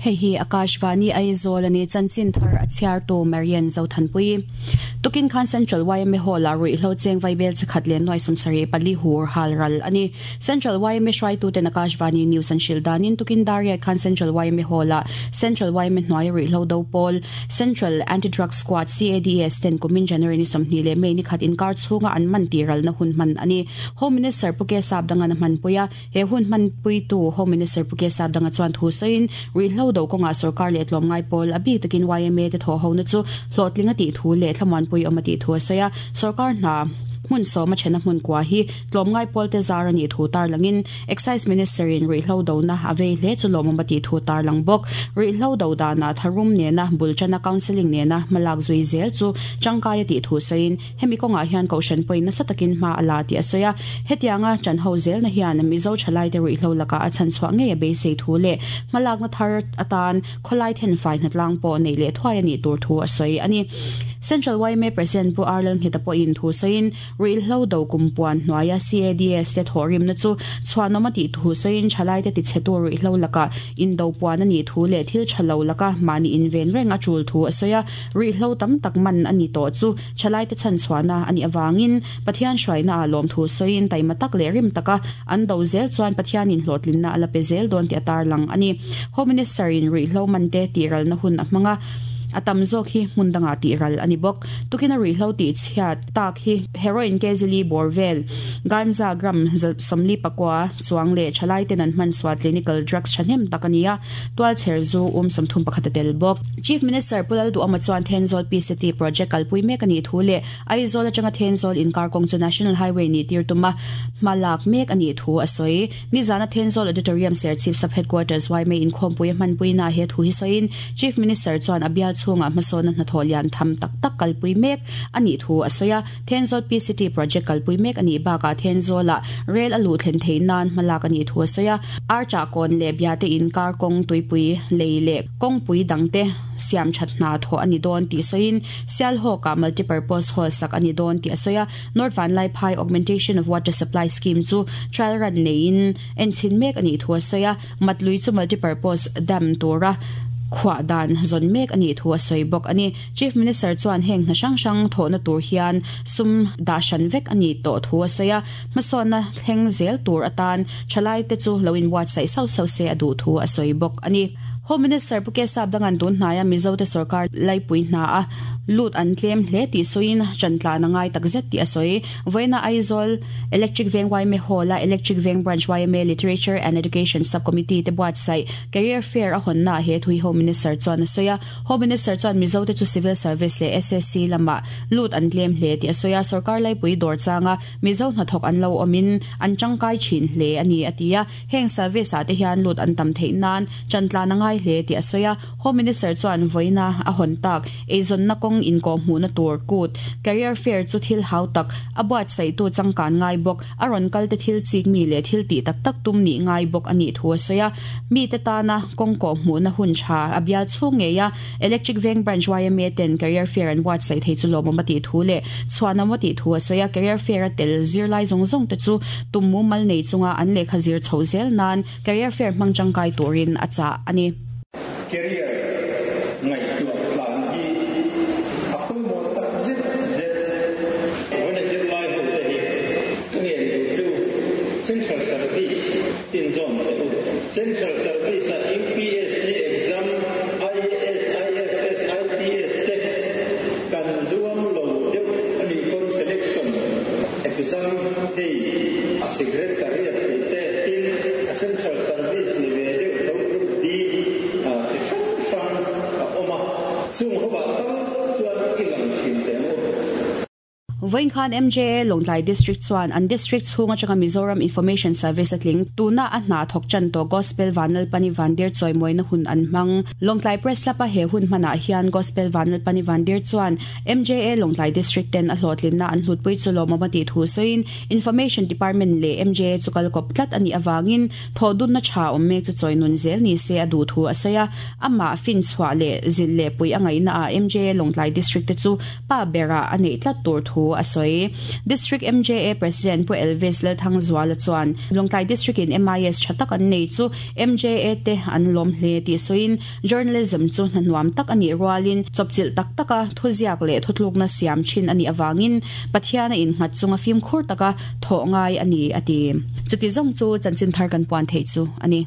Hei hi Akashvani Aizawl a ni, chanchin thar a chhiartu Marian Zothanpui. Tukin khan Central yma Hall-ah ruihhlo cheng vaibel chikhat leh nuai 74 hur hal ral a ni. Central yma hruaituten Akashvani News an hrilh danin tukin Dariat khan Central yma Hall-ah Central yma hnuaia ruihhlo do pawl Central Anti-Drug Squad, CADS, ten kumin January ni 20 leh May ni khat inkar chhunga an man tih ralna hun hman a ni. Home Minister Pu Kesap Dangan a hmanpui a. He hun hmanpuitu Home Minister Pu Kesap Danga chuan thu sawiin, ruihhlo do kawngah sorkar leh tlawmngai pawl, a bik takin yma te thawhhona chu hlawhtling a tih thu leh thlamuanpui awm a tih thu a sawi a. Sorkar hna hmun sawma thena hmun kua hi tlawmngai pawl te zar a nih thu tarlangin Excise Minister in ruihhlo dona a vei hle chu lawmawm a tih thu tarlang bawk. Ruihhlo do danah tharum nena bul tana counselling nena hmalak zui zel chu tangkai a tih thu sawiin, Hemi kawngah hian Kohhran pawhin nasa takin hma a la tih a sawi a, hetianga ṭanho zelna hian Mizo ṭhalaite ruihhlo lakah a chhanchhuah ngei a beisei thu leh hmalakna thar atan khawlai thenfai hnatlang pawh neih leh thuai a nih tur thu a sawi a ni. Central yma President Pu Arlal Ngheta pawhin thu sawiin ruihhlo do kumpuan hnuaia CADS te thawhrimna chu chhuanawm a tih thu sawiin ṭhalaite tichhetu ruihhlo lakah indo puan a nih thu leh thil ṭha lo laka mahni inven reng a ṭul thu a sawi a. Ruihhlo tam tak man a ni tawh chu thalaite chhanchhuahna a nih avangin Pathian hruaina ah lawmthu sawiin taima tak leh rim taka an do zel chuan Pathianin hlawhtlinna a la pe zel dawn tih a tarlang a ni. Home Minister in ruihhlo mante tihralna hun a hmang a, a tam zawk hi hmun dangah tihral a ni bawk. Tukina ruihhlo tihchhiat tak hi heroin kzili bawr vel, ganja gram 44 chuang leh thalaiten an hmansual clinical drugs thahnem tak a ni a. Tualchher zu 31 a tel bawk. Chief Minister Pu Lalduhawma chuan Thenzawl PCT project kalpui mek a nih thu leh Aizawl atanga Thenzawl inkar kawng chu National Highway nih tir tuma hma lak mek a nih thu a sawi. Nizana Thenzawl Auditorium Serchhip Sub Headquarters yma inkhawmpui a hmanpuina he thu hi sawiin Chief Minister chuan a bial chhungah hmasawnna hnathawh lian tham tak tak kalpui mek a nih thu a sawi a. Thenzawl PCT project kalpui mek a nih bakah Thenzawlah rel a luh thlen theih nan hma lak a nih thu a sawi a. Archah kawn leh Biate inkar kawng tuipui lei leh kawngpui dangte siam that hna thawh a ni dawn tih sawiin Sialhawkah multipurpose hall sak a ni dawn tih a sawi a. North Vanlaiphai Augmentation of Water Supply Scheme chu trial run neiin enchhin mek a nih thu a sawi a. Matlui chu multipurpose dam tura khuah dan zawn mek a nih thu a sawi bawk a ni. Chief Minister chuan heng hna hrang hrang thawhna tur hian sum dah hran vek a nih tawh thu a sawi a, hmasawnna thleng zel tur atan thalaite chu lo inbuatsaih sauh sauh se a duh thu a sawi bawk a ni. Home Minister Pu Kesap Dangan tun hnaia Mizote sorkar laipui hna a lut an tlem hle tih sawiin ṭantlan a ngai takzet tih a sawi. Vawiina Aizawl Electric Veng yma Hall-a Electric Veng Branch yma Literature and Education Sub-Committee te buatsaih Career Fair a hawnnaah he thu hi Home Minister chuan a sawi a. Home Minister chuan Mizote chu Civil Service leh SSC lamah lut an tlem hle tih a sawi a, sorkar laipui dawr changa Mizo hnathawk an lo awmin an tangkai thin hle a ni a ti a. Heng service ah te hian lut an tam theih nan chantlan a ngai hle tih a sawi a. Home Minister chuan vawiina a hawn tak eizawnna kawng inkawh hmuhna tur kut, career fair, chu thil hau tak a buatsaihtu changkan ngai bawk, a rawn kal te thil chik mi leh thil tih tak tak tum nih ngai bawk a nih thu a sawi a. Mite tana kawng kawh hmuhna hun tha a bial chhung ngei a, Electric Veng Branch yma ten career fair an buatsaih thei chu lawmawm a tih thu leh chhuanawm a tih thu a sawi a. Career fair a tel zirlai zawng zawng te chu tum mumal nei chunga an lehkha zir chhoh zel nan career fair hmang tangkai turin a chah a ni. Career ngaihtuah tlan hi a pawimawh tak zet zet. Vawiina zirlai ho te hi ka ngen duh chu Central Service inzawn teh u. Central Service a UPSC exam, IAS, IFS, IPS te kan zuam lo deuh a nih pawn selection exam hei Secretariat tih te tin a Central Service ni ve deuh tho Group D chi hrang hrang a awm a, chung ho ah tal chuan i lang thin teh ang u. Vawiin khan MJA Lawngtlai District chuan an District chhung atanga Mizoram Information Service a tling. Tuna a hna thawk tan tawh Gospel Vanlalpani Vandir chawimawina hun an hmang. Lawngtlai Press Club-a he hun hmanah hian Gospel Vanlalpani Vandir chuan MJA Lawngtlai District ten a hlawhtlinna an hlutpui chu lawmawm a tih thu sawiin Information Department leh MJA chu kal kawp tlat a nih avangin thawhdunna tha awm mek chu chawi nun zel ni se a duh thu a sawi a. Amah finchhuah leh zilh leh puih a ngaihnaah MJA Lawngtlai District te chu pa berah a neih tlat tur thu a. a sawi. District MJA President Pu Elvis Lalthangzuala chuan Lawngtlai District in MIS tha tak an nei chu MJA te an lawm hle tih sawiin Journalism chu hna nuam tak a nih rualin chawpchilh tak taka thuziak leh thutlukna siam thin a nih avangin Pathian a innghat chunga fimkhur taka thawh ngai a ni a ti. Chuti zawng chu chanchin thar kan puan theih chu a ni.